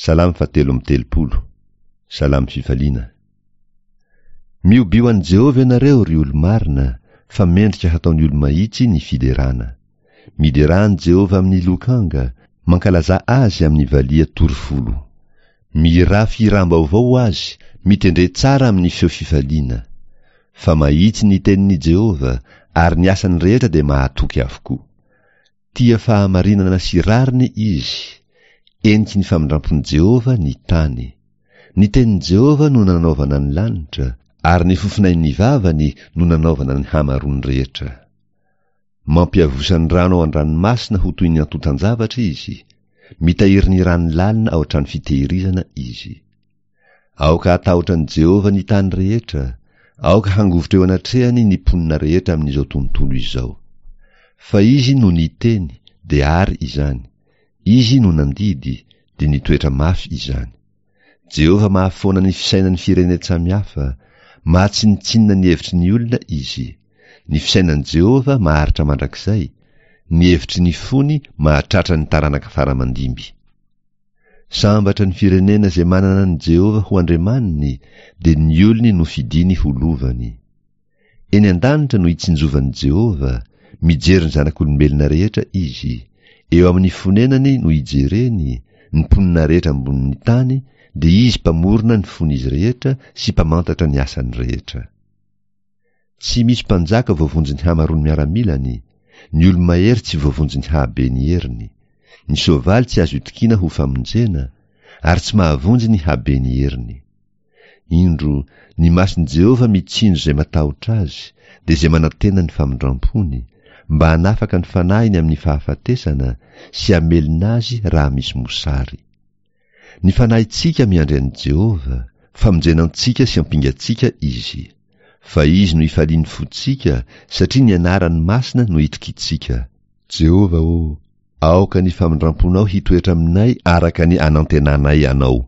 Salamo fahatelo amby 30. Salamo fifaliana. Miobio an'i Jehovah ianareo, ry olo-marina, fa mendrika hataon'ny olo-mahitsy ny fiderana. Miderà an'i Jehovah amin'ny lokanga, mankalazà azy amin'ny valiha torifolo. Mihirà fihiram-baovao ho azy, mitendre tsara amin'ny feo fifaliana. Fa mahitsy ny tenin'i Jehovah, ary ny asany rehetra dia mahatoky avokoa. Tia fahamarinana sy rariny izy. Eniky ny famindrampon'i Jehovah ny tany. Ny tenin'i Jehovah no nanaovana ny lanitra, ary ny fofonain'ny vavany no nanaovana ny hamaroany rehetra. Mampiavosa ny rano ao an-dranomasina ho toy ny antontan-javatra izy, mitahiry ny rano lalina ao an-trano fitehirizana izy. Aoka hatahotra an'i Jehovah ny tany rehetra, aoka hangovitra eo anatrehany ny mponina rehetra amin'izao tontolo izao. Fa Izy no niteny, dia àry izany, Izy no nandidy, dia nitoetra mafy izany. Jehovah mahafoana ny fisainan'ny firenen-tsamihafa, mahatsinontsinona ny hevitry ny olona Izy. Ny fisainan'i Jehovah maharitra mandrakizay, ny hevitry ny fony mahatratra ny taranaka fara aman-dimby. Sambatra ny firenena izay manana an'i Jehovah ho Andriamaniny, dia ny olony nofidiny ho lovany. Eny an-danitra no itsinjovan'i Jehovah, mijery ny zanak'olombelona rehetra izy. Eo amin'ny fonenany no ijereny, ny mponina rehetra ambonin'ny tany, dia izy mpamorona ny fon'izy rehetra sy mpamantatra ny asany rehetra. Tsy misy mpanjaka voavonjin'ny hamaroan'ny miaramilany, ny olo-mahery tsy voavonjin'ny hahaben'ny heriny. Ny soavaly tsy azo itokiana ho famonjena, ary tsy mahavonjy ny haben'ny heriny. Indro, ny mason'i Jehovah mitsinjo izay matahotra azy, dia izay manantena ny famindram-pony, mba hanafaka ny fanahiny amin'ny fahafatesana sy hamelona azy raha misy mosary. Ny fanahintsika miandry an'i Jehovah, famonjena antsika sy ampingantsika Izy. Fa Izy no ifalian'ny fontsika, satria ny anarany masina no itokiantsika. Jehovah ô, aoka ny famindram-ponao hitoetra aminay araka ny anantenanay Anao.